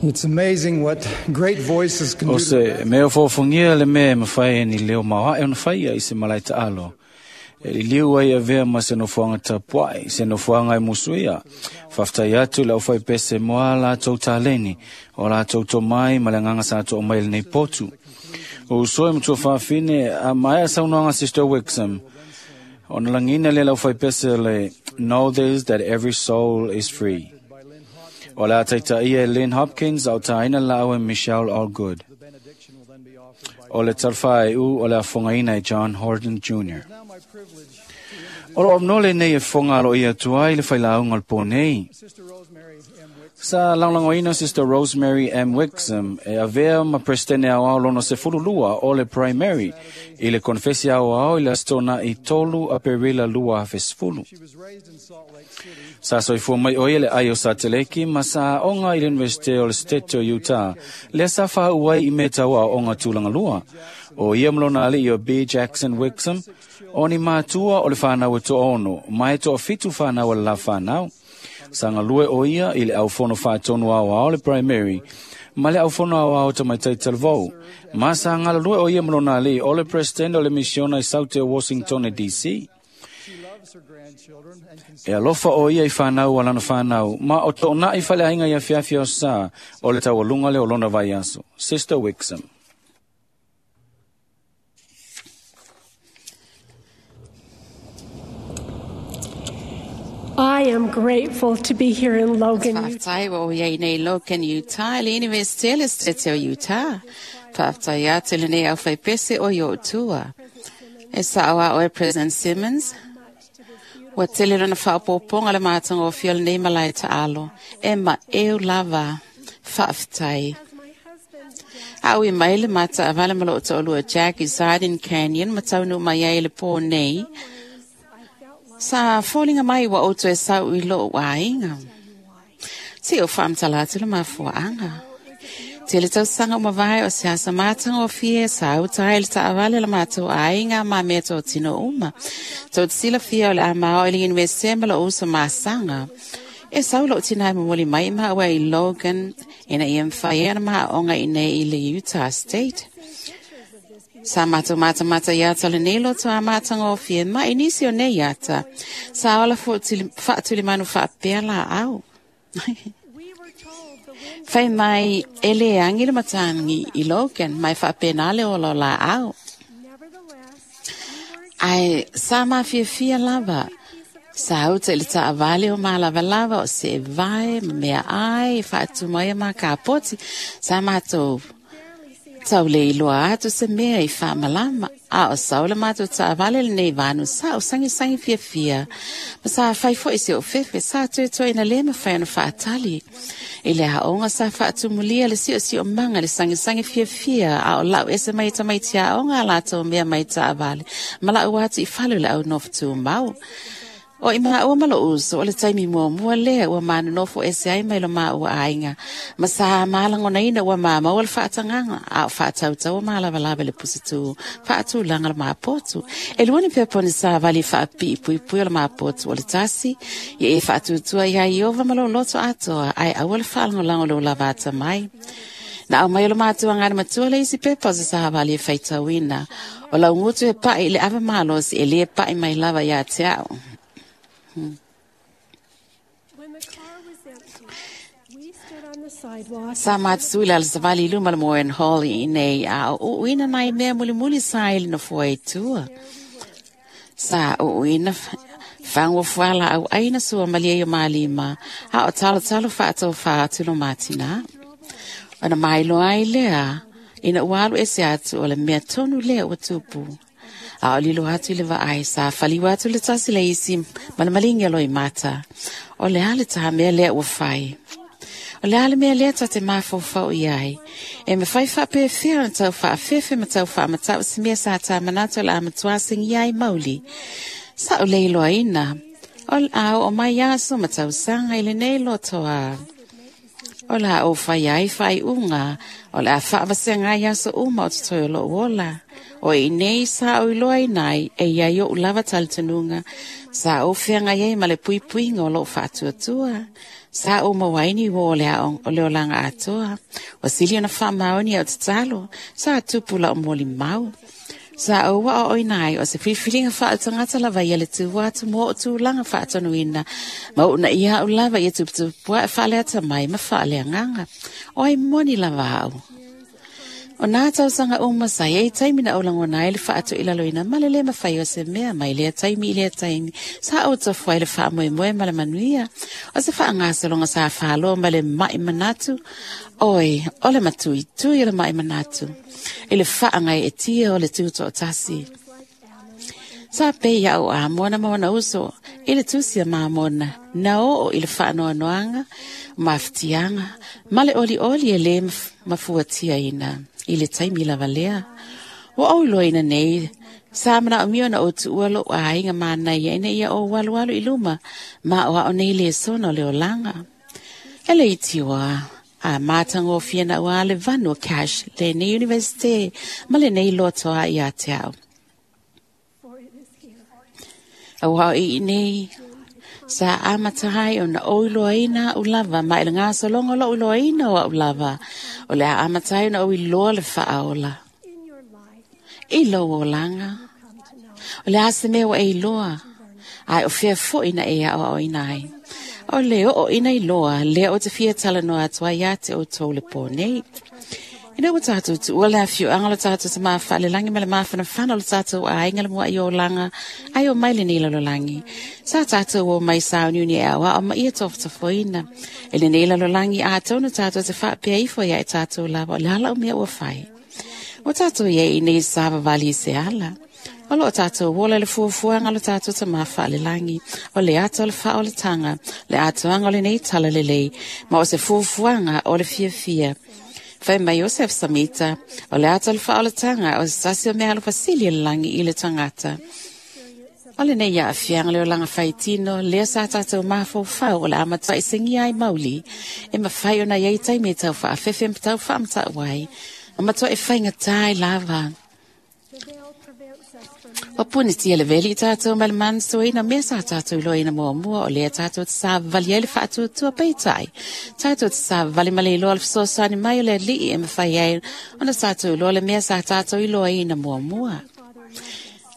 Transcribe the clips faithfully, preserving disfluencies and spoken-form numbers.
It's amazing what great voices can O do. se mea fōfongia le mea e mawhai e ni leo maoae ona whaia i se malai taalo. E liliu ai avea ma se nofoanga tapuai, se nofoanga e musuia. Whaftai atu le au pese moa la tau taleni, o la tau tomai ma le nganga sa to mai le nei potu. O usoe mtua whawhine, a maia saunoanga Sister Wixom. Ona langina le lau pese le, know this that every soul is free. O la taita ia Lynn Hopkins au taina lau e Michelle Allgood. O le talwha e u o le afongaina e John Horton Junior O lo omnole nei e fonga alo ia tuai le whailaunga o le pō. Sa langlangoina Sister Rosemary M. Wixom e avea ma presidente au au lono se fululua o le primary i le konfesi au au i le astona i tolu a perila lua hafesfulu. Sa soifua mai oia le ai o Sateleki ma sa onga i le University o le State o Utah. Le sa wha uai i me tau au onga tūlanga lua. O ia mlona ali i o B. Jackson Wixom, o ni mātua o le whanau e to ono, mai to fitu whanau o le la whanau. Sanga lue o ia i le au fono whaatonu au au le primary, ma le au fono au au ta mai taitalvou. Ma sanga lue o ia mlona ali o le president o le misiona i South Washington D C. E alofa o ia i whanau o lana whanau, ma o tōna i whale ainga ia fiafia o sa, o le taualunga le o lona vai aso. Sister Wixom. I am grateful to be here in Logan, Utah. Whaftai o iei nei Logan, Utah, le University le State o Utah. Whaftai atu le nei au whaipese o i o tua. E sao a oe President Simmons. Ua tele rana whaopoponga le mātanga o fio le nei malai ta'alo. E ma eu lava. Whaftai. Au i mai le mata a wale malo o to'olua Jack i Zardin Canyon, mataunu mai ai le pō nei. Sa fōlinga mai wa oto e sau i lo wainga. Te o whaamtala atu le mafuaanga. Te le tausanga o mawai o se asa mātanga o fie sa au tai le taawale le mātou ainga ma mea tō tino uma. Tō tila fia o le amao i le universite ma lo uso māsanga. E sau lo tina e mwoli mai ma ua i Logan ina i mwhai ana maa onga i nei i le Utah State. Sa mātou māta māta iata le nei loto a mātanga o fie ma inisi o nei iata. Sa ola whaatuli manu whaapea la au. Whai mai e le angi le matangi i Logan mai whaapena le ola la au. Ai sa mawhia fia lava. Sa auta i le taavale o mālavalava o se vai, mea ai, whaatu mai a mā kāpoti. Sa mātou tau le iloa atu se mea i whaamalama. A o sau le mātou taavale le nei vānu sa o sangi sangi fia fia. Ma sa whai fo i se o fefe sa tuetoa ina le mawhai ona whaatali. I le haonga sa whaatumulia le sio sio manga le sangi sangi fia fia. A o lau ese mai tamaiti a onga lātou mea mai taavale. Ma lau atu i falu le au nofutu mau. O i maa ua malo uso, o le taimi mua mua lea ua maanu nofo ese ai mai lo maa ua ainga. Ma sa maalango ina ua maa maua le whaatanganga, a o whaatautau maalavalava le pusitu, whaatulanga le maapotu. E luani peponi sa vali whaapii pui pui o le maapotu o le tasi, ia e whaatutua ia iova malo loto atoa, ai aua le whaalangolango lo lavata mai. Na au mai o le mātua ngāna matua le isi pepa o se sahavali e whaitauina. O lau ngutu e pai le ava mālosi e le pai mai lava ia te au. When the car was empty, we stood on the sidewalk. Sa mātsui la savali luma le moen hall i nei a o uina nai mea muli muli sa ili no fua e tua. Sa o uina whangwa fuala au aina sua malia i o malima a o talo talo whaatau whaatu lo mātina. Ona mailo ai lea ina ualu ese atu o le mea tonu lea ua tupu. A o lilo atu i le vaai sa whaliwa atu le tasi le isi malamalingi alo i mata. O le ale taha mea lea ua whai. O le ale mea lea tate mawhaufau i ai. E me whai whape whia na tau whaafefe ma tau whaamatau si mea sa tā manato la amatuasingi ai mauli. Sa o leiloa ina. O le au o mai aso ma tau sanga i le nei lotoa. O la o whai ai whai unga. O le a whaavasenga ai aso uma o te toi o lo ola. O i nei sa o iloa inai e ia o lava talitanunga. Sa o whianga iei ma le pui puinga o lo whaatuatua. Sa o mawaini wo o le ao o le olanga atoa. O sili ona whaamaoni au tatalo. Sa tupu la o moli mau. Sa o wa o inai o se whiwhiringa whaatangata lava ia le tū atu mō o tūlanga whaatonuina. Ma o na ia au lava ia tuputupua e whaaleata mai ma whaalea nganga. Oi moni lava au. O nā tausanga uma sa ei taimi na olangona ai le whaatu i lalo ina male le mawhai o se mea mai lea taimi i lea taimi. Sa o tofu ai le wha moe moe ma le manuia. O se wha ngasalonga sa whaloa ma le mai manatu. Oi, o le matui tui o le mai manatu. I le wha ngai e tia o le tūto o tasi. Sa pe ia o a mona mona uso, i le tusia mā mona, na o i le whaanoanoanga, mawhitianga, ma le oli oli e le mafuatia ina, i le taimi lava lea. Wa o iloa ina nei, sa mana o mio na o tuua lo a inga mānai ina ia o walu walu i luma, ma o ao nei le sona o le olanga. E le itiwa, a mātango fia na ua le vanu cash le nei universite, ma le nei lotoa i a te au. Aua i nei, sa amatahai o na oiloa ina u lava, ma ele ngā solongo lo uloa ina o au lava, o le a amatai na oiloa le whaaola. I lo olanga, o le ase mea wa e iloa, ai o fea fo ina e ao o ina ai. O le o ina iloa, le o te fia tala noa atua ia te o tō le pō nei. Ina ua tātou tu ua le awhiu anga lo tātou te māwha le langi ma le māwhana whana lo tātou a inga le mua i o langa ai o mai le nila lo langi. Sa tātou o mai sa o niuni e awa o ma ia tōwhatafoina. E le nila lo langi a tōnu tātou te whaapea ifo ia e tātou lava o le hala o mea ua whai. O tātou ia i nei sa vavali i se ala. O lo tātou wola le fuafuanga lo tātou te māwha le langi. O le ato le wha o le tanga. Le atoanga o le nei tala le lei. Ma o se fuafuanga o le fia fia. Whai mai Joseph Samita, o le ata le wha o le tanga, o se tasi o mea alo fasili le langi i le tangata. O le nei ia awhianga le o langa whaitino, lea sa tātou mawhau whau o le amatua i singi ai mauli, e mawhai o na iei tai me tau wha awhewhe tau wha amata wai, o matua e whainga tai lava. O puni tia le veli i tātou ma le manso ina mea sa tātou iloa ina mua mua o lea tātou te sa vali ai le whaatuatua peitai. Tātou te sa vali ma le iloa le fesoasoani mai o le alii e mawhai ai ona tātou iloa le mea sa tātou iloa ina mua mua.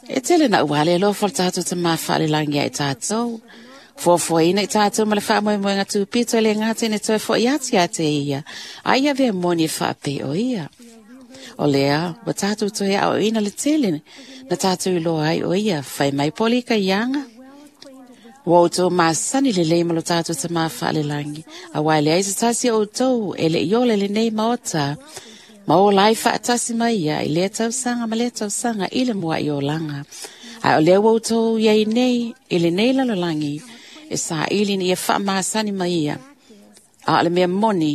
E tele na uale loa fo le tātou te mawha le langi ai tātou. Fuafua ina i tātou ma le whaamoemoenga tūpito e le ngā tene toi fo i ati a te ia. Ai a vea moni e whaape o ia. O lea, wa tātou toi au ina le tele, na tātou iloa ai o ia, whai mai poli ka ianga. Wa o tō māsani le lei malo tātou te māwha le langi. A wai le aisa tasi o tō, e le iole le nei maota. Ma o lai whaatasi mai ia, i lea tausanga ma lea tausanga, i le mua i o langa. A o lea wa o tō iai nei, i le nei lalo langi, e sa ili ni ia wha māsani mai ia. A o le mea moni,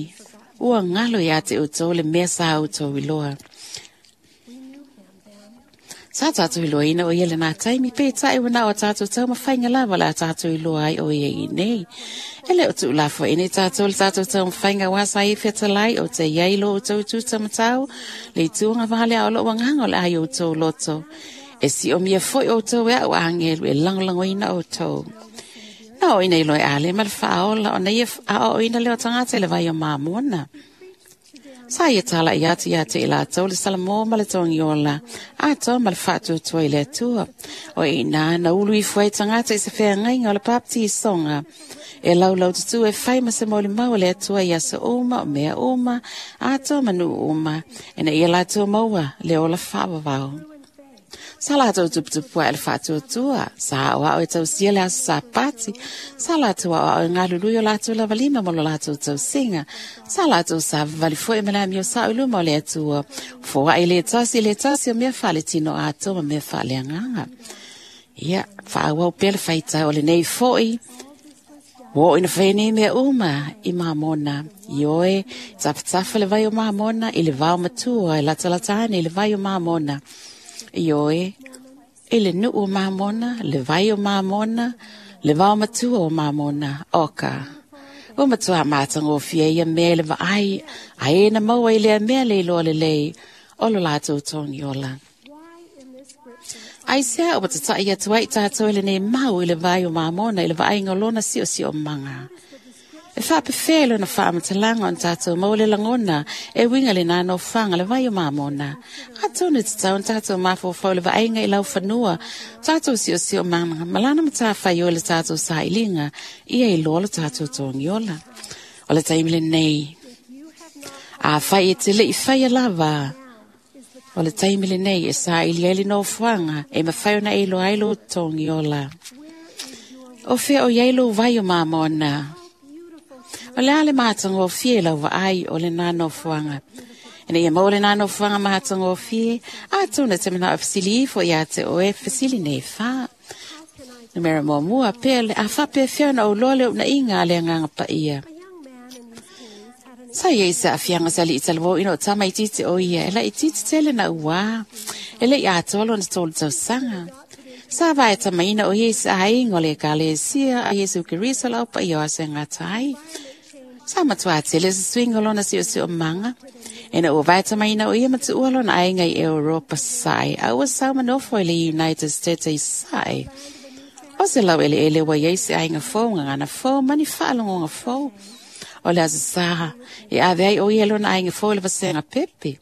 ua ngalo ia te o tō le mea sa o tō iloa. Sa tātou iloa ina o ia le nā taimi, pe tae wana o tātou tau mawhainga lava la tātou iloa ai o ia i nei. E le o tu lafo ine tātou le tātou tau mawhainga wasa i whetalai o te iailo o tau tūta matau, le tuanga wale o lo wanganga o le ai o tau loto. E si o mia foi o tau e au angelu e langolango ina o tau. Na o ina iloa e ale ma le whaola o na ia a o ina leo tangata le vai o māmona. Sa ia tala i atu ia te ila tau le salamo ma le tongiola, a tau ma le whaatuatua i le atua. O i nā na ulu i fuai tangata i se whea ngainga o le papti i songa. E laulau tutu e whai ma se moli mau le atua i aso uma o mea uma, a tau manu uma, e na ia lātua maua le ola whaawawau. Sa lātou tuputupua e le whaatuatua, sa o ao e tausia le aso sa pati, sa lātou ao ao e ngalului o lātou lavalima mo lo lātou tausinga, sa lātou sa valifua e malami o sa uluma o le atua, foa e le tasi le tasi o mea whale tino ato ma mea whale anganga. Ia, whaawau pele whaitau o le nei foi, wo ina whaine mea uma i māmona. I oe, tapatafa le vai o māmona, i le vao matua, i latalatane i le vai o māmona. I oe, i le nuu o māmona, le vai o māmona, le vao matua o māmona, oka. O matua mātango fia ia mea le vaai, a e na maua i lea mea le iloa le lei, o lo lātou tongi ola. Ai sea o watatai atu ai tātou le nei mau i le vai o māmona, i le vai ngolona sio sio manga. E whaapewhea lona whaamatalanga on tātou maua le langona e winga le nā nofoanga le vai o mamona. A tōnu te tau on tātou mawhawhau le vaenga i lau whanua, tātou sio sio mana, malana matawhai o le tātou sa'ilinga, ia i loa le tātou tōngiola. O le taimi le nei. A whai e te le i whai a lava. O le taimi le nei e sa'ili ai le nofoanga e mawhai ona e loa ai lo tōngiola. O whea o iai lo vai o mamona. O le ale mātanga o fie lau vaai o le nā nofoanga. Ina ia mau le nā nofoanga mātanga o fie, a tōna te mana o fasili ifo ia te oe fasili nei whā. Numera mua mua pea le a whapea whiona o loa le una inga le anganga paia. Sa ia isa awhianga sa li italawo ino o tama i titi o ia, e la i titi tele na ua, e le i atoa lona tolu tausanga. Sa vai tamaina o ia isa aingo le kalesia a Yesu Keriso lau pa ia ase ngā tai. Sa matua tele sa swingo lona si o si o manga. Ina o vai tamaina o ia matua lona ainga i Europa sai. A ua sau manofo i le United States i sai. O se lau ele ele wa ia isi ainga fō, ngangana fō, mani whaalongonga fō. O le asa saha, e ave ai o ia lona ainga fō le vasenga pepe.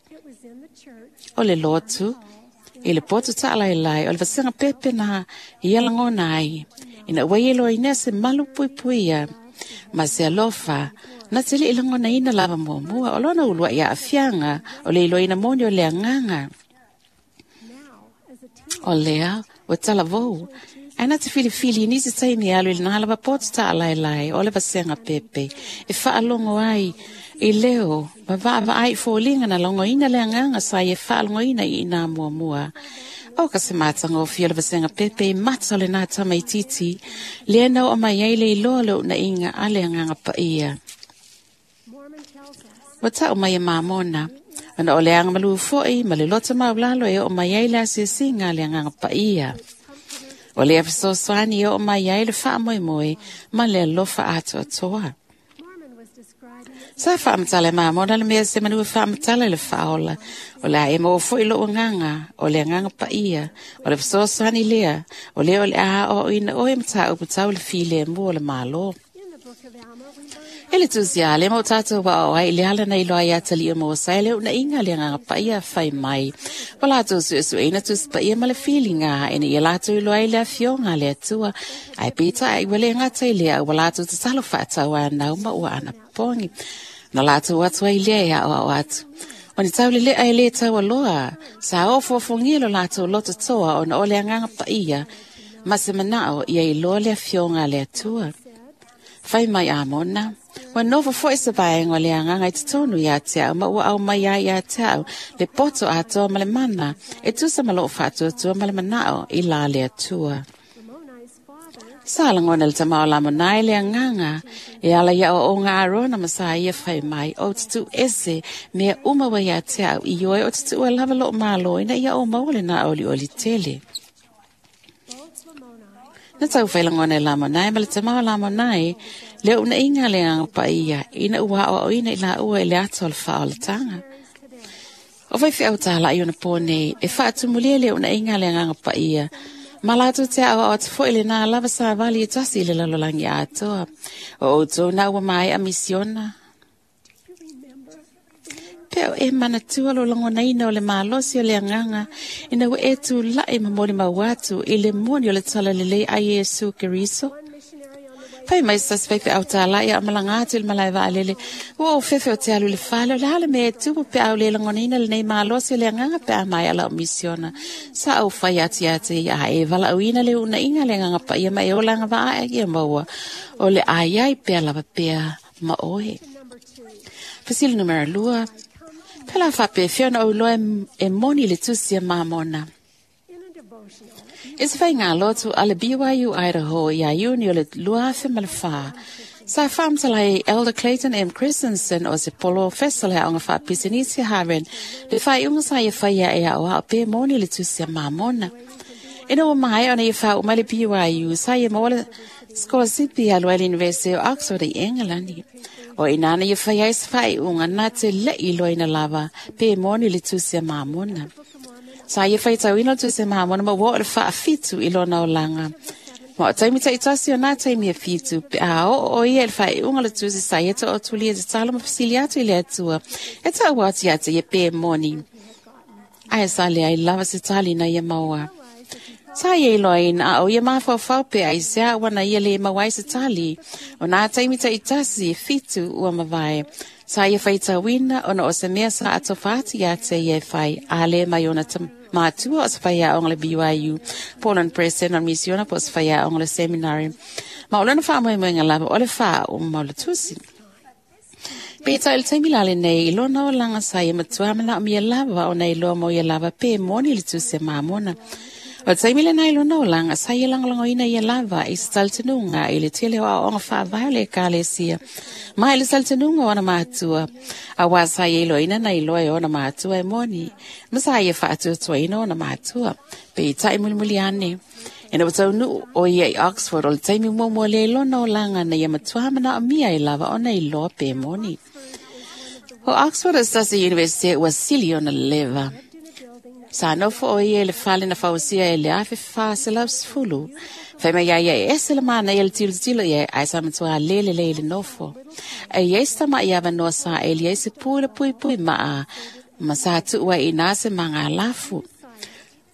O le lotu, i le poto ta'alai lai, o le vasenga pepe na ia langona ai. Ina ua ia loa inea se malu pui ia. Ma se alofa, na te li langona ina lava muamua, o lona ulua ia afianga, o le iloina moni o le anganga. O lea, o talavou, ai na te filifili nisi taimi alu i le lava poto ta'alai lai, o le vasenga pepe, e whaalongo ai, i leo, ma vaavaai fōlinga na longoina le anganga sa e whaalongoina i nā muamua. O ka se mātanga o fia le vasenga pepe i mata o le nā tama i titi, lea nau o mai ai le iloa le una inga a le anganga paia. Wa tau mai e mamona, ana o le anga malu foi ma le lota maulalo e o mai ai le asiasinga le anganga paia. O le awhisosoani e o mai ai le whaamoemoe ma le alofa atoatoa. Sa whaamatala mamona le mea se manu whaamatala le whaola. O le a e maua foi lo nganga, o le anganga paia, o le whasoasani lea, o le o le aha o ina oe mata o putau le file mua o le malo. E le tusi a le mau tātou wa o ai le ala nei loa ia tali o mō sai le una inga le anganga paia whai mai. O lātou su su eina tusi paia ma le feelinga ina ia lātou iloa i le afionga le atua. Ai pita ai wale ngata i lea ua lātou tatalo whaatau a nau ma ua ana pongi. Na lātou atu ai lea ia o au atu. O ni tau le lea e le tau aloa, sa o fuafungia lo lātou loto toa o na ole anganga paia, ma se manao ia iloa le afionga le atua. Whai mai amona, wa novo foi se vaenga o le anganga i te tonu ia te au, ma ua au mai ai ia te au, le poto atoa ma le mana, e tusa ma loo whaatuatua ma le manao i la le atua. Sa langona le tamao la monai le anganga, e ala ia o o ngā arona ma sa ia whai mai, o te tu ese, mea uma wa ia te au, i oi o te tu lava loo malo, ina ia o maua le nā oli oli tele. Na tau whailangona e la monai, ma le tamao la monai, le una inga le anga paia, ina ua o ina i la ua i le ato le whaolatanga. O vai whiau tāla i ona pōne, e whaatumulia le una inga le anga paia, ma lātou te au o te fo le nā lava sa wali e tasi i le lalolangi atoa. O o tō nā ua mai a misiona. Peo e manatua lo langonaina o le malosi o le anganga, ina ua e tū lai mamoli mauatu i le moni o le tala lelei a Yesu Keriso. Fai mai sas fai au tāla ia amalanga atu le malai vaalele. Ua o fefe o te alu le fale o le hale me e tupu pe au le langonaina le nei malosi o le anganga pe a mai ala o misiona. Sa au fai ati ati ia e wala uina le una inga le anganga pa ia mai o langa vaa ia maua. O le ai ai pea lava pea ma oe. Fasili numera lua. Pela whape whiona o loa e moni le tusi a mamona. E se whai ngā lotu a le B Y U Idaho i a iuni o le lua awhi ma le wha. Sa whamtala e Elder Clayton M. Christensen o se polo fesala o ngā whapisinisi haren le whai unga sa i whaia e au au pe moni le tusi a mamona. Ina o mai ona i wha umai le B Y U sa i maua le Scholarship a Royal University o Oxford i Engelandi. O inana i whai ai se whai unga nā te le iloa ina lava pe moni le tusi a mamona. Sa ia whai tau ina tu se mahamona ma wā o le whaafitu i lona o langa. Ma o taimi taitasi o nā taimi e fitu, pe a o o ia le whaiunga le tusi sa ia te o tulia te talo ma fisili atu i le atua. E tau atu ia te ia pe moni. Ae sa le ai lava se tali na ia maua. Sa ia iloa ina a o ia mafaufau pe ai se a wana ia le mauai se tali. O nā taimi taitasi e fitu ua mavae. Sa ia whaitawina ona o se mea sa atofati ia te ia whai a le mai ona te mātua o se whaia o le B Y U, Portland Press Center Missiona po o se whaia o le seminary. Ma o lena wha moe moe ngā lava o le wha o maula tusi. Peta il taimi lale nei i lona o langa sa ia matua mana o mia lava o nei loa mo ia lava pe moni le tusi mamona. O taimi le nei lona o langa sa ia langolango ina ia lava i se talitenunga i le tele o aoga faavae o le ekalesia. Ma i le talitenunga o ona matua. A wā sa ia iloina na iloa e ona matua e moni. Ma sa ia faatuatuaina ona matua. Pe i tai mulimuli ane. E na watau nu o ia i Oxford o le taimi muamua le lona o langa na ia matua mana o mia i lava ona iloa pe moni. O Oxford o sasi University ua sili ona leva. Sa nofo o ia le fale na fausia e le afe fa se lau sefulu. Whai mai ia ia e ese le mana ia le tilo tilo ia ai sa matua lele le le nofo. E ia ista ma ia wanoa sa e lia se pui le pui pui maa ma sa tuua i nase manga lafu.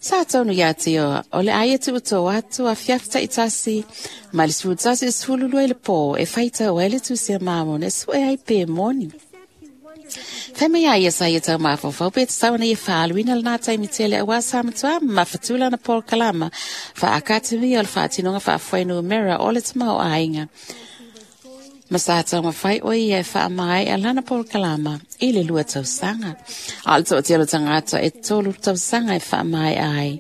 Sa taunu ia te o, o le aia tu tō atu a fiafta i tasi, ma le sefulu tasi e sefulu lua i le pō, e whaita o ele tu se mamona e sue ai pe moni. Whai mai a ia sa ia tau mawhawhau, pe te tau na ia whaaluina le nā taimi tele a wā sa matua ma whatula na Paul Kalama, wha akatemi o le whaatinonga wha whainu mera o le tamau ainga. Ma sa tau mawhai o ia e wha mai a lana Paul Kalama i le lua tausanga. A le tō telo tangata e tolu tausanga e wha mai ai.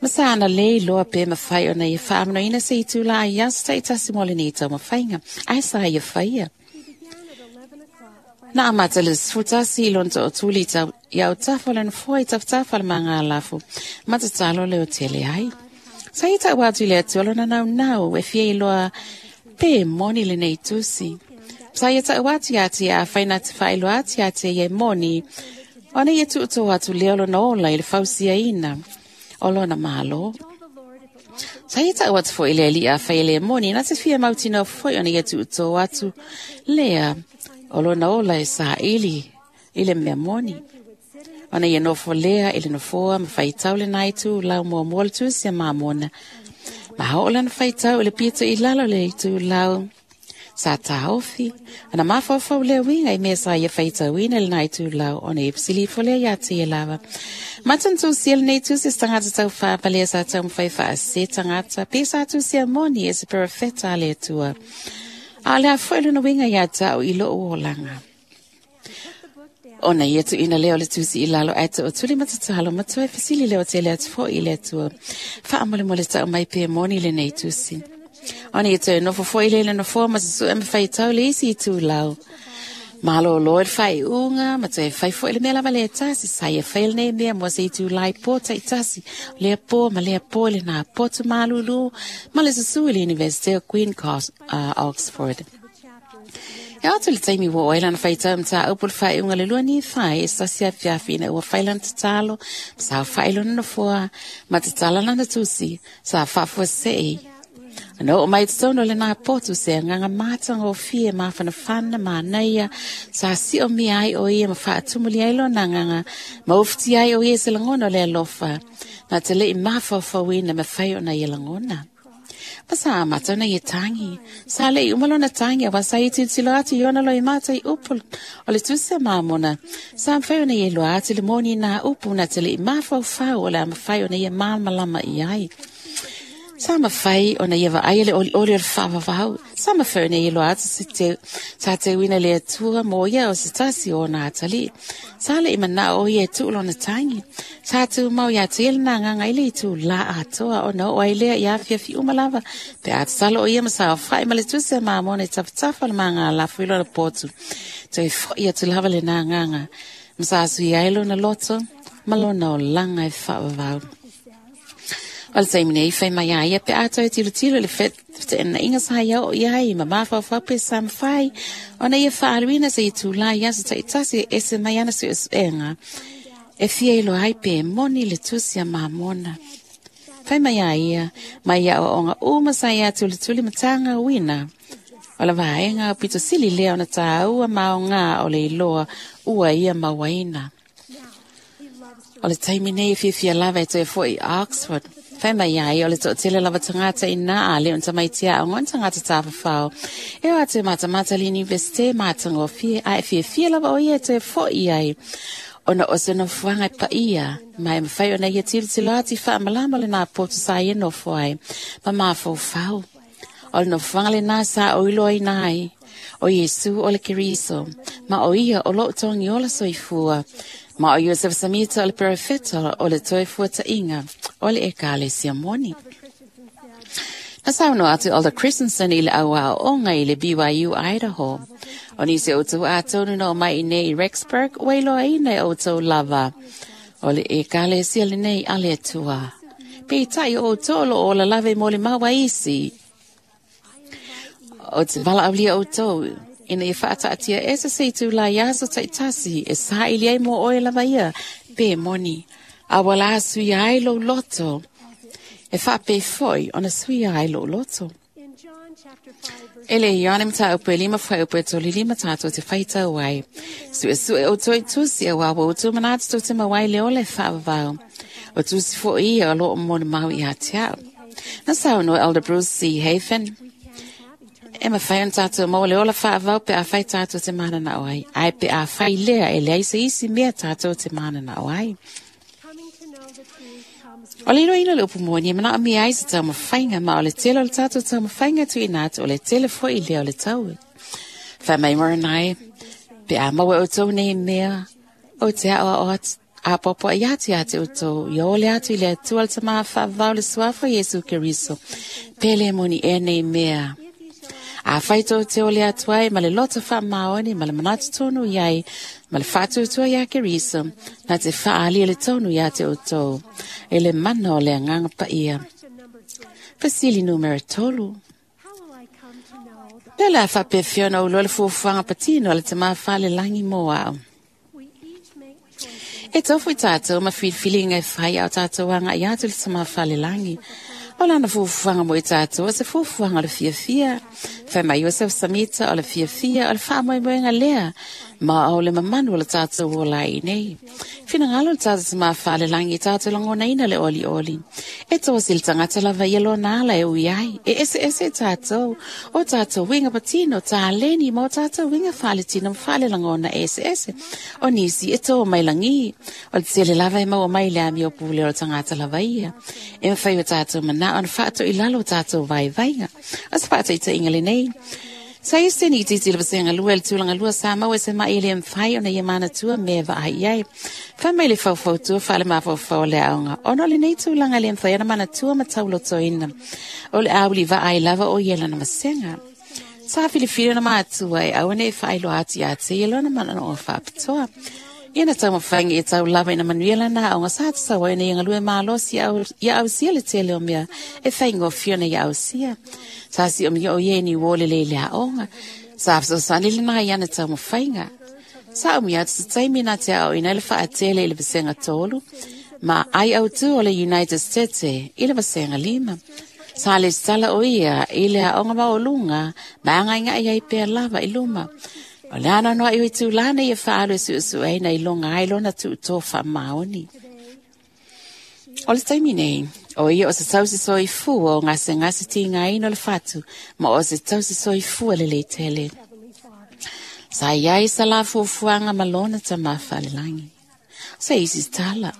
Ma sa ana lei loa pe mawhai o na ia whaamano ina se i tūla ai asa i tasi mo le ni tau mawhainga. Ai sa ia whaia. Nā amata le sefutasi i lona to'otuli tau ia o tafa o le nofoa i tafatafa le magalafu ma tatalo le o tele ai. Sa ia ta'u atu i le Atua lona naunau e fia iloa pe moni lenei tusi. Sa ia ta'u atu iā te ia afai na te fa'ailoa atu iā te ia e moni ona ia tu'utou atu lea o lona ola i le fausiaina o lona mālō. Sa ia ta'u atu fo'i le ali'i afai e le moni na te fia mautinoa fo'i ona ia tu'utou atu lea o lona ola e sa ili i le mea moni. Ona ia nofo lea i le nofoa ma faitau le nai tu lau muamua le tusi a mamona. Ma hao lana faitau i le pito i lalo le itu lau sa tāofi. Ana mafaufau lea winga i mea sa ia faitauina le nai tu lau ona ia pisilifo lea ia te ia lava. Matan tusi ele nei tusi tangata tau whāpalea sa tau mwhai wha se tangata pe sa tusi a moni e se perafeta le atua. A le a foe lona winga ia tau i loo o langa. Ona ia tu ina leo le tusi i lalo ata o tuli matatalo matua e fisili leo te le atu fo i le atua. Wha amole mole tau mai pe moni le nei tusi. Ona ia tau nofo fo i le le nofo ma sasu e mwhai tau le isi i tū lau. Malo loa le whai unga, ma toe whai fo i le mea lava le tasi, sa ia whai le nei mea mua se i tū lai pō tai tasi, lea pō ma lea pō le nā pōtu malulu, ma le susu i le University o Queen Cos, uh, Oxford. E atu le taimi ua oe lana whaitau mta au pule whai unga le lua ni whai e sasi a fiafi ina ua whai lana tatalo, ma sa whai lona nofoa, ma tatala lana tusi, sa whafua sei. Ana o mai tonu le nā potu se nganga mātanga o fie māwhanawhana mānaia sa si o mi ai o ia ma whaatumuli ai lona nganga ma ufti ai o ia se langona le alofa nā te lei māwhawhawina me whai ona ia langona. Ma sa amata ona ia tangi. Sa lei umalona tangi a wasa i titilo atu i ona loi mātai upu o le tusi a māmona. Sa mwhai ona ia loa atu le moni nā upu nā te lei māwhawhau o le amawhai ona ia māmalama i ai. Sa mawhai ona ia vaai le oli oli o le whaawawau. Sa mawhai ona ia loa atu se te, sa te wina le atua mō ia o se tasi o nā atali. Sa le ima o ia e tuulona tangi. Sa tu mau ia te ele nā nganga ile i tū la atoa o na o ailea i awhia fi umalava. Pe atasalo o ia ma sa whai ma le tuse a māmona i tafatafa le mā ngā lafu ilo na pōtu. Toi fo ia tu lava le nā nganga. Ma sa asu i ailo na loto, ma lona o langa e whaawawau. O le taimi nei whai mai a ia pe ātau e tilo tilo le whete na inga sa ia o ia ai ma mawhawhau pe sa mwhai ona ia whaaluina se i tūlai ia sa taitasi e se mai ana su enga e fia ilo ai pe moni le tusi a mamona. Fai mai a ia, mai ia o onga uma sa ia tuli tuli matanga uina. O la vaenga o pito sili lea ona tāua maonga o le iloa ua ia mauaina. O le taimi nei fiafia lava e toe foi i Oxford. Fai mai ai o le to'atele lava tagata i nā a le ona tamaiti a'oga ona tagata tafafao. E o atu e matamata le Universite matagofie a e fiafia lava o ia e toe fo'i ai. Ona o se nofoaga e paia, ma e mafai ona ia tilotilo atu i faamalama o lenā poto sa ia nofo ai, ma mafaufau. O le nofoaga lenā sa o iloaina ai, o Iesu o le Keriso, ma o ia o loo togi ola soifua, ma o Iosef Samita o le perofeta o le toe fuata'iga o le Ekalesia moni. Na saunoa atu Elder Christensen i le auao'oga i le B Y U Idaho. O nisi o outou atonu na o mai i nei i Rexburg, ua iloaina e outou lava o le Ekalesia lenei a le Atua. Peitai o outou o loo ola lava i mo le maua isi. O te valaaulia outou ina ia faataatia ese se itu lai aso taitasi e saili ai mo oe lava ia pe moni. A ua la suia ai lou loto. E faapei foi ona suia ai lou loto. E le Ioane mataupu e lima fuaiupu e tolu lima tātou te whaitau ai. Sue sue o toi tusi a wā o tū manatu tō te mawai le ole whaavavau. O tusi fo ia o loo mona mau i a te au. Na saunoa Elder Bruce C. Hafen. E mawhai on tātou mau le ola whaavau pe a whai tātou te mana na oai. Ai pe a whai lea e lea ise isi mea tātou te mana na oai. O le iloina le upu moni e mana o mea ai se tau mawhainga ma o le tele o le tātou tau mawhainga tu ina atu o le tele fo i lea o le tau. Whai mai moranai, pe a maua o tau nei mea, o te ao o a popo i atu atu o tau, i o le atu i le atua le tama whaavau le suafa Iesu Keriso, pele moni e nei mea. A whai tō te ole atu ai, ma le loto wha maoni, ma le manatu tonu iai, ma le whātuatua ia Keriso, nā te whaali le tonu ia te o tō, e le mana o le anganga paia. Fasili numera tolu. Pele a whapewhiona o loa le fuafuaga patino le te mawhale langi mō au. E tofu i tātou ma whiliwhilinga e whai au tātou anga i atu le te mawhale langi. O lana fuafuaga mo i tātou, o se fuafuaga o le fiafia. Whai mai Iosef Samita o le fiafia o le whaamoemoenga lea. Ma o le mamanu o le tātou o lai nei. Whinangalo le tātou te mawhale langi i tātou langona ina le oli oli. E tō si le tangata lava ia lona ala e ui ai. E ese ese tātou. O tātou winga patino, tā leni ma o tātou winga whale tino whale langona ese ese. O nisi e tō mai langi. O le tele lava e maua mai le ami o pule o le tangata lava ia. E mwhai o tātou mana ona whaato i lalo o tātou vai vainga. O se whaato i te inga le nei. Sa i seni i titi le vasenga lua le tūlanga lua sa mau e se mai le mwhai ona ia mana tua me va ai ai. Wha mai le whauwhau tua wha le mawhauwhau le aonga. Ona le nei tūlanga le mwhai ona mana tua ma tauloto ina. O le auli va ai lava o ia lana vasenga. Sa whiliwhiri ona mātua e awane e whailo ati ati ia lona mana o whapitoa. Ia na tau mawhangi e tau lava ina manuela nā o ngā sāta sawa ina ia ngalue mālosi ia ausia le tele o mea e whaingo fiona ia ausia. Sa si o mea o ie ni wole le le aonga. Sa afsosani le nā ia na tau mawhainga. Sa o mea atu taimi nā te ao ina le whaatele i le vasenga tolu. Ma ai au tu o le United States i le vasenga lima. Sa le sala o ia i le aonga maolunga ma anga inga ia i pea lava i luma. O le ana noa iwi tūlana ia whaalu e su'usu'u ai na ilonga ai lona tu'uto wha maoni. O le taimi nei, o ia o se tausi soifua o ngase ngase tinga ino le fatu, ma o se tausi soifua le le tele. Sa iai sa la fuafuaga ma lona tama faalelangi. O se isi tala.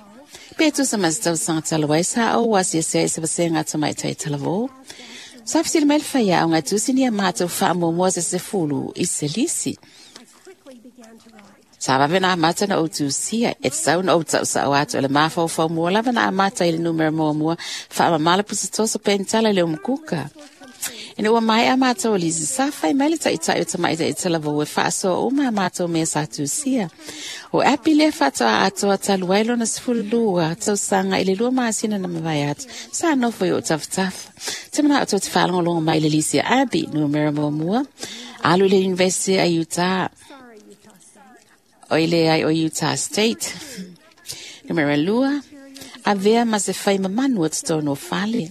Pe tusa ma se tausaga talu ai sa ou asiasi ai se vasenga tamaitai talavō. Sa fisili mai le faiaoga e tusi ni a matou faamuamua se sefulu i se lisi. Sa vave na amata na ou tusia, e tatau na ou tausa'o atu o le mafaufau mua lava na amata i le numera muamua faamamala pusatoso penitala i le umukuka. Ina ua maea matou o lisi sa fai mai le ta'ita'i o tamaita'i talavou e faasoa uma a matou mea sa tusia. O api lea faatoa atoa talu ai lona sefululua tausaga i le lua masina na mavae atu sa nofo i o tafatafa. Te mana'o tou te faalogologo mai le lisi a Abi, numera muamua, alu i le University a Utah. O ile ai o Utah State. Numera lua, Avea ma se fai mamanu o totonu o fale.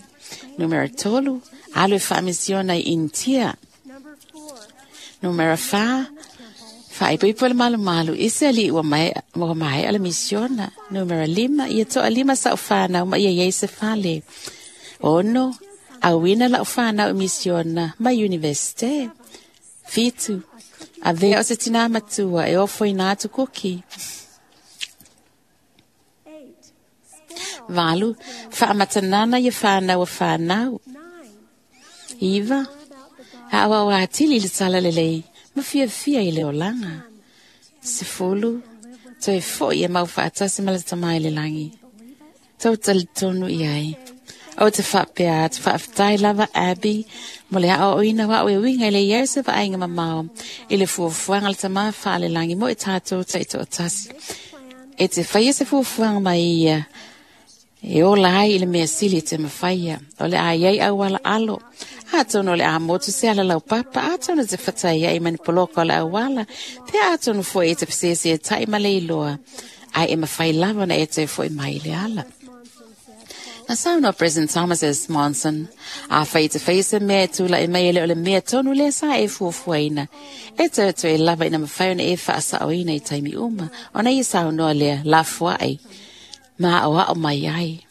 Numera tolu, alu e faamisiona i Initia. Numera fa, faaipoipo le malumalu i se alii ua maea ua maea le misiona. Numera lima, ia toalima sa'u fanau ma ia iai se fale. Ono, auina la'u fanau i misiona ma Universite. Fitu, avea o se tinā matua e ofoina atu kuki. Valu, faamatanana ia fanau a fanau. Iva, a'aua'au atili i le tala lelei ma fiafia i le olaga. Sefulu, toe fo'i e mau faatasi ma le tamā i le lagi. Tou talitonu i ai. O te faapea atu faafetai lava Abby mo le aoaoina o a'u e uiga i le iai se vaaiga mamao i le fuafuaga a le tamā faalelagi mo i tatou taitoatasi. E te faia se fuafuaga mai ia e ola ai i le mea sili e te mafaia. O le a iai auala alo. Atonu o le a motu se ala laupapa, atonu e te fatai ai ma ni poloka o le auala, pe atonu foi e te pesese e tai ma le iloa, ai e mafai lava na e toe foi mai i le ala. Na saunoa President Thomas S. Monson, a fai te fai se mea e tula e mai ele o le mea tonu lea sa e fuafuaina. E toe toe lava ina mafai ona e faasaoina i taimi uma, ona ia saunoa lea lafoai, ma aoao mai ai.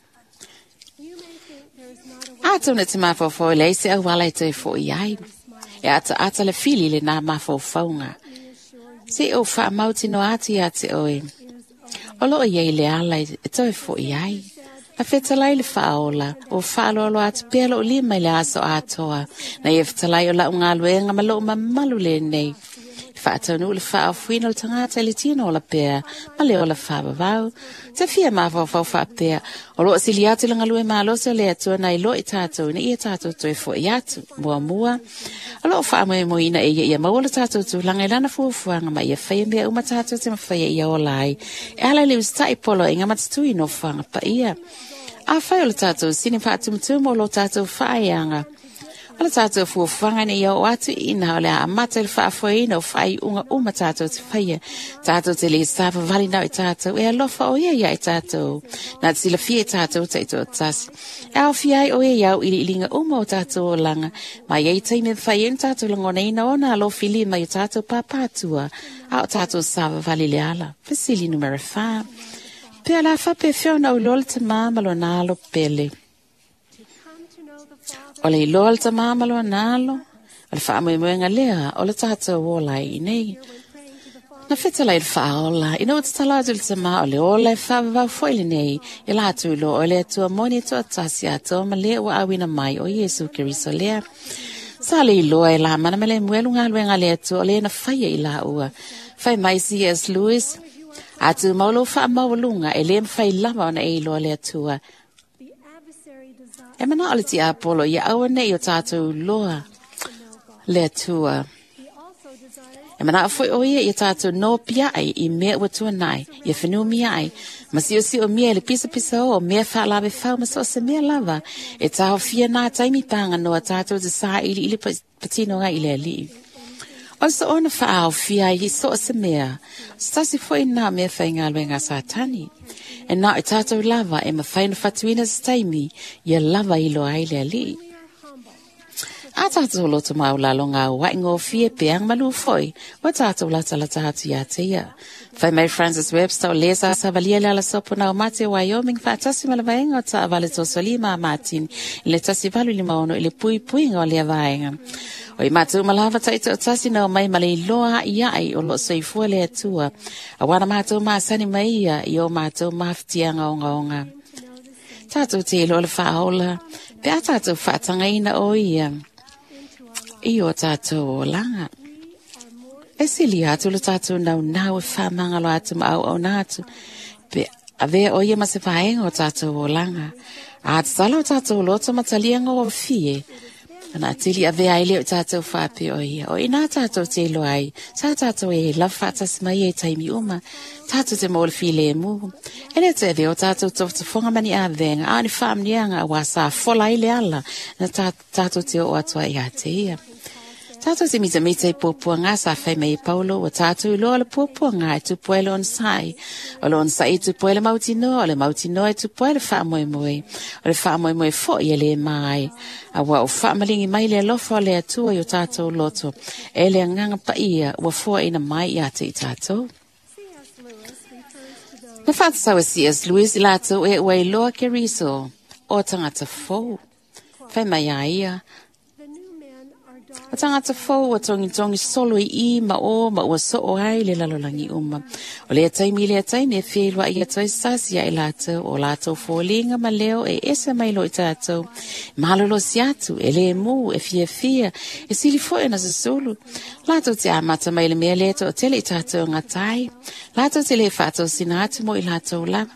Atonu e te mafaufau e leai se auala e toe fo'i ai. E ataata le fili le nā mafaufauga. Se o faamautinoa atu ia te oe. O loo iai le ala e toe fo'i ai. Na fetalai le faaola, o faaloalo atu pea lou lima i le aso atoa. Na ia fetalai o lau galuega ma lou mamalu lenei. Faataunuu le faaofuina o le tagata i le tino ola pea ma le ola faavavau. Te fia mafaufau faapea, o loo sili atu le galue malosi o le Atua nai lo i tatou ina ia tatou toe fo'i atu. Muamua, o loo faamoemoeina e ia ia maua le tatou tulaga i lana fuafuaga ma ia faia mea uma tatou te mafaia ia ola ai. E ala i le usitai poloaiga ma tatui nofoaga paia. Afai o le tatou sini faatumutumu o lo tatou faaeaga. O le tatou fuafuaga ina ia oo atu i ina o le a amata i le faafoeina o faaiuga uma tatou te faia. Tatou te lē savavali nao i tatou, e alofa o ia ia i tatou. Na te silafia i tatou taitoatasi. E aofia ai o ia i auiliiliga uma o tatou olaga. Ma iai taimi e mafai ai ona tatou lagonaina ona alofilima i o tatou pāpātua, a o tatou savavali le ala. Fesili numera fa. Pe o le a faapefea ona ou iloa le tamā ma lona alo pele? O le iloa le tamā ma lona alo, o le faamoemoega lea o le tatou ola ai i nei. Na fetalai le faaola, ina ua tatalo atu le tamā o le ola e faavavau foi lenei, ia latou iloa o le Atua moni e toatasi atoa ma le ua auina mai o Iesu Keriso lea. Sa le iloa e Lamana ma Lemuelu galuega a le Atua o le na faia i laua. Fai mai C S Lewis, a tumau lou faamaualuga e lē mafai lava ona e iloa le Atua. E manao le tiapolo ia aua nei o tatou iloa le Atua. E manao foi o ia ia tatou nopiai i mea ua tuanai, ia whenumia ai, ma siosio mea i le pisapisa o mea whaalawe whau ma so se mea lava, e taofia nā taimi pānga noa tatou te sā ili ili patino ngai i le alii. O so ona whaaofia ai i so se mea, se tasi foi nā mea whaingaluega Satani. E nā o tatou lava e mawhai na whatuina se taimi, ia lava i loa ai le alii. A tātou loto maulalo ngā wai ngō fie peang malu foi, wa tātou lata lata atu ia te ia. Whai mai Francis Webster o lesa savalia le ala sopo na o mate Wyoming whaatasi ma le vaenga o taavale tosolima a Martin i le tasi valu lima ono i le pui puinga o lea vaenga. O i mātou malava taito o tasi na o mai ma le iloa i ai o lo soifua le Atua. A wana mātou maasani mai ia i o mātou mawhitianga onga onga. Tātou te ilo le whaola, pe a tātou whaatangaina o ia. I o tātou olanga. E sili atu le tātou nau nau e whamangalo atu ma au au nā atu. Pe avea o ia ma se whaenga o tātou olanga. A te tala o tātou loto matalianga o fie. Ana tili avea ai leo tātou whaape o ia. O ina tātou te ilo ai. Tā tātou e love whaatasi mai e taimi uma. Tātou te mōle file e mū. E le te avea o tātou tofutafonga mani a venga. A ni whaamnianga a wā sā fola i le ala. Na tātou te o atua i a te ia. Tātou te mitamita i puapuanga sa whai mei Paulo, wa tātou i loa le puapuanga e tupua le onsai. O le onsai i tupua le mautinoa, o le mautinoa e tupua le whaamoemoe. O le whaamoemoe fo i le mai. A wa o whaamalingi mai le alofa o le atua i o tātou loto. E le anganga paia, ua fua ina mai i ate i tātou. Na whātasawa C S Lewis i lātou e ua iloa ke riso o tangata fou. Whai mai a ia. O tangata fou o tongi tongi solo i i ma o ma ua so o ai le lalolangi uma. O lea taimi lea taimi e whielua i atoe sasi ia i lātou o lātou fōlinga ma leo e ese mai lo i tātou. Malolo si atu e le mū e fia fia e sili foe na susulu. Lātou te amata mai le mea lea to o tele i tātou ngā tai. Lātou te le whātou sina atu mo i lātou lava.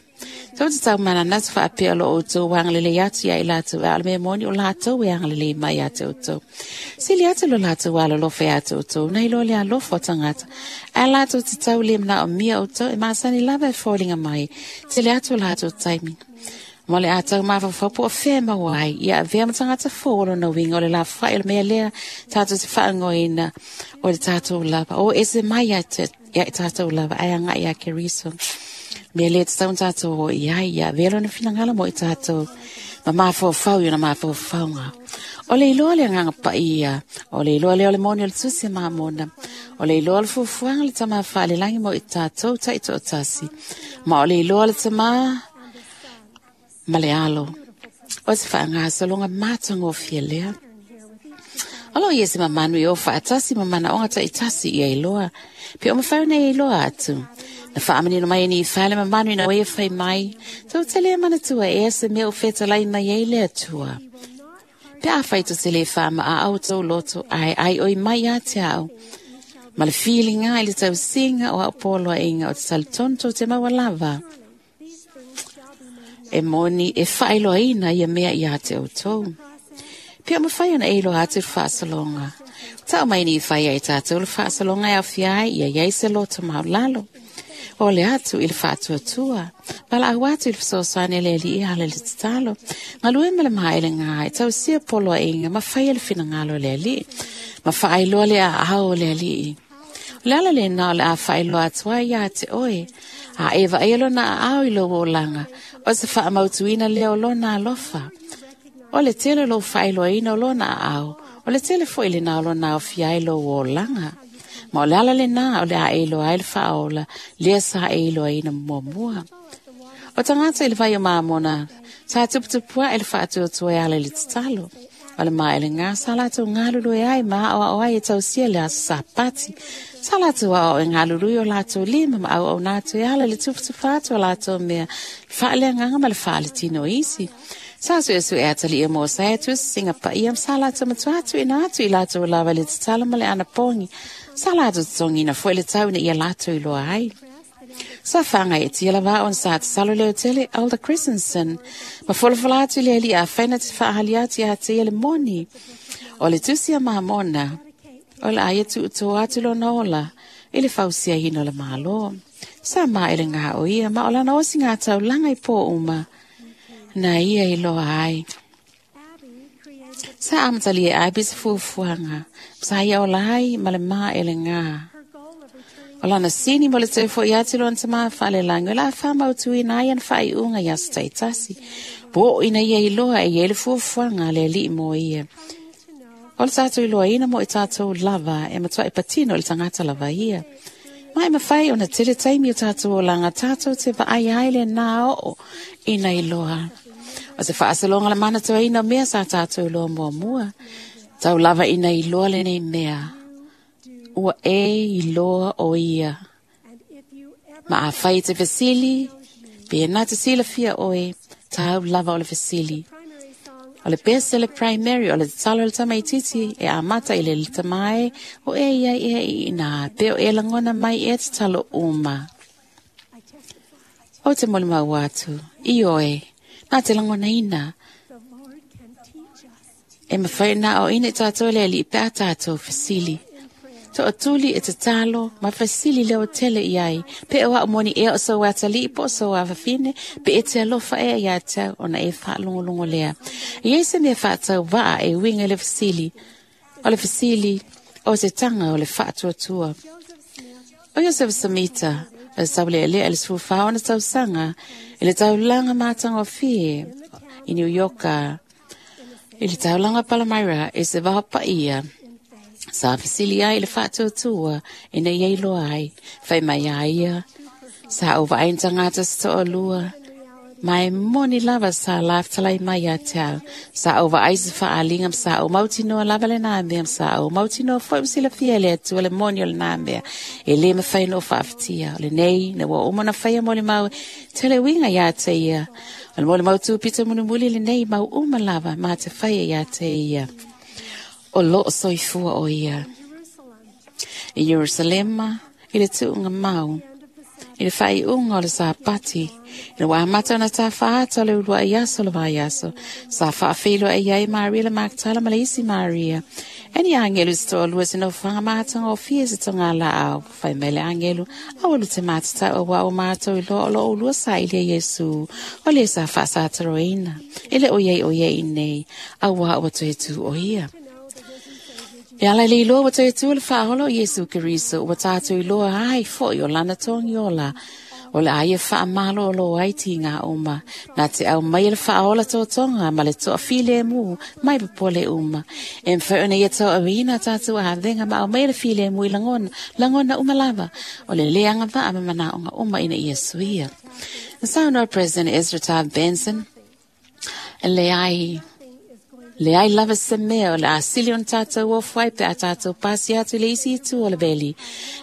Tau te tau mana natu whaapea lo o tau wangalele atu ia i lātou a le mea moni o lātou e angalele mai atu o tau. Sili atu lo lātou alo lofe atu o tau, nei lo le alofo tangata. A lātou te tau le mna o mia o tau e maasani lava e fōlinga mai. Tele atu o lātou taimi. Mo le atau mawhawhau o whea mawai, ia a vea matangata fōlo na winga o le la whae o le mea lea tātou te whaangoina o le tātou lava. O ese mai ia te tātou lava, ai anga ia ke riso. Mea lea te taun tātou o iai, ia velo na whinangala mo i tātou. Ma mawhawhau i na mawhawhaunga. O le iloa le anganga paia, o le iloa le o le moni o le tusi mamona, o le iloa le fufuanga le tama whaale langi mo i tātou ta i tōtasi. Ma o le iloa le tama ma le alo. O te whaangahasalonga mātanga o fia lea. Alo ia se mamanu i o whaatasi ma mana onga ta i tasi ia iloa. Pe o mawhau nei iloa atu. Na whaamanino mai ni i whale mamanu ina oe whai mai. Tau te lea manatua e se mea o whetalai mai ei lea tua. Pe a whai to te le whaama a au tau loto ai ai oi mai a te au. Ma le feelinga i le tau singa o au poloa inga o te talitonto te maua lava. E moni e whailoa ina ia mea i a te au tau. Pea mawhai ana eilo atu le whaasalonga. Tau mai ni i whai ai tātou le whaasalonga e awhia ai ia iai se loto maulalo. O le atu i le whaatuatua. Pala au atu i le whasosane le li i ala le tatalo. Ngalue me le maele ngā e tau sia poloa inga ma whai le whinangalo le ali. Ma whaailoa le a au le ali. O le ala le nā o le a whaailoa atua ia te oe. A ewa e lo na au i lo o langa. O se whaamautuina leo lo nā alofa. O le tele lo whaailoa ina o lo nā au. O le tele fo i le nā o lo nā o fiai lo o langa. Ma o le ala le nā o le a eiloa ai le whaola, lea sa eiloa ina mua mua. O tangata i le vai o maamona, sa tuputupua e le whaatuatua e ala i le tatalo. O le maa ele ngā, sa lātou ngalulu e ai maa o ao ai e tausia le aso sapati. Sa lātou ao e ngalulu i o lātou lima ma au au nātou e ala le tuputupa atu o lātou mea. Whaalea nganga ma le whaale tino isi. Sa su e su e atali e mō sa e tu singa pa ia sa lātou matua atu i nā atu i lātou lava le tatalo ma le anapongi. Sa lātou tongi na fue le tau na ia lātou i loa ai. Sa whanga e tia lava on sa te salo leo tele Alda Christensen. Ma folafola atu le ali a whaina te whaahali atu ia te ia le moni. O le tusi a mahamona. O le aia tu uto atu lo na ola. I le fausia hino le malo. Sa maa ele ngā o ia ma o lana osi ngā tau langa i pō uma. Na ia i loa ai. Sa amatali e ai pisa fuafuanga. Sa ia o lai ma le maa ele ngā. O lana sini mo le tau fo i atu loan tama whale lango. La wha mautu i nai an whai unga ia sa taitasi. Bo ina ia i loa e ia le fuafuanga le li mo ia. O le tātou i loa ina mo i tātou lava e matua e patino le tangata lava ia. Mai mawhai o na tele taimi o tātou o langa tātou te vaai ai le nā o ina i loa. O te whaasalonga le mana tau ina mea sa tātou loa mua mua. Tau lava ina i loa le nei mea. Ua e i loa o ia. Ma a whai te vesili, pe nā te sila fia oe, tau lava o le vesili. O le pese le primary, o le talo le tamaititi, e a mata i le tamai, o e ia ia i nā, pe o e langona mai e te talo uma. O te moli mau atu, i oe, nā te langona ina. E mawhai nā o ina i tātou le ali i pēa tātou vesili. To atuli e te talo, ma fasili leo tele iai. Pe o moni e o so atali po so a fafine, pe e te alofa e ia tau ona e whaalongolongo lea. Ia se mea whaatau waa e winga le fasili. O le fasili, O se taga o le faatuatua. O Iosefa Samita, o le saulealea i le sefulufa ona tausaga i le taulaga matagofie i New Yorka, i le taulaga Palmyra i se vaopaia, sa fesili ai i le faatuatua ina ia iloa ai, fai mai a ia, sa ou vaai ni tagata se toalua, ma e moni lava sa lafetalai mai ia te au. Sa ou vaai se faaaliga ma sa ou mautinoa lava lenā mea ma sa ou mautinoa foi ma silafia e le Atua le moni o lenā mea. E lē mafai ona ou faafatia. O lenei, ina ua uma ona faia molimau e tele uiga iā te ia. O le molimau tupito mulimuli lenei mau uma lava ma te faia iā te ia. O loo soifua o ia. I Ierusalema, i le tuuga mau, i le faaiuga o le Sapati, ina ua amata ona tafaata o le uluai aso o le vaiaso, sa faafeiloai ai Maria le Makatala ma le isi Maria. E ni agelu se toalua se nofoaga matagofie se togalaau. Fai mai le agelu, aua lu te matatau auā ua matou iloa o loo ulua sailia Iesu, o le sa faasataroina. E le o iai o ia i nei, auā ua toe tū o ia. E ala i le iloa ua toe tū le faaola o Iesu Keriso, ua tatou iloa ai foi o lana togi ola, o le a ia faamalōlō ai tigā uma, na te aumaia le faaola totoga ma le toafilemu mai popole uma. E mafai ona ia tauavina tatou avega ma aumaia le filemu i lagona, lagona uma lava, o le lē agavaa ma manaoga uma ina ia suia. Na saunoa President Ezra Taft Benson, e leai, leai lava se mea o le a sili ona tatou ofo ai pe a tatou pasi atu i le isi itu o le veli.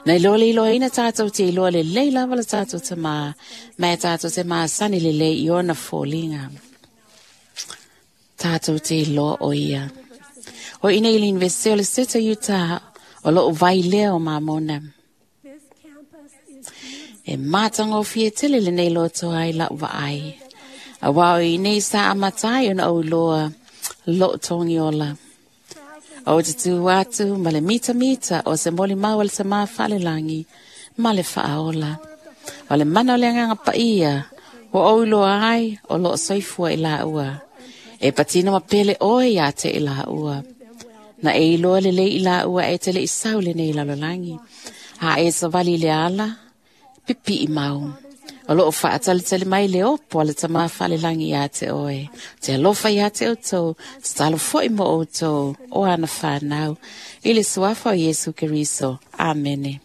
Na iloa le iloaina tatou te iloa lelei lava le tatou tamā, ma e tatou te masani lelei i ona foliga. Tatou te iloa o ia. O i inei i le Universite o le Seta Utah, o loo vai lea o Mamona. This campus is E matagofie tele lenei loto ai lau vaai. Auā o i inei sa amata ai ona ou iloa loo togi ola. Ou te tu atu ma le mitamita o se molimau a le Tamā Faalelagi ma le Faaola. O le mana o le Agaga Paia, ua ou iloa ai o loo soifua i laua. E patino ma pele oe iā te i laua. Na e iloa lelei i laua e te lei sau lenei lalolagi. A e savali i le ala, pipii mau. O loo faatalitali mai le opo a le Tamā Faalelagi iā te oe. Te alofa iā te outou, tatalo foi mo outou, o ana whānau. I le suafa o Iesu Keriso. Amene.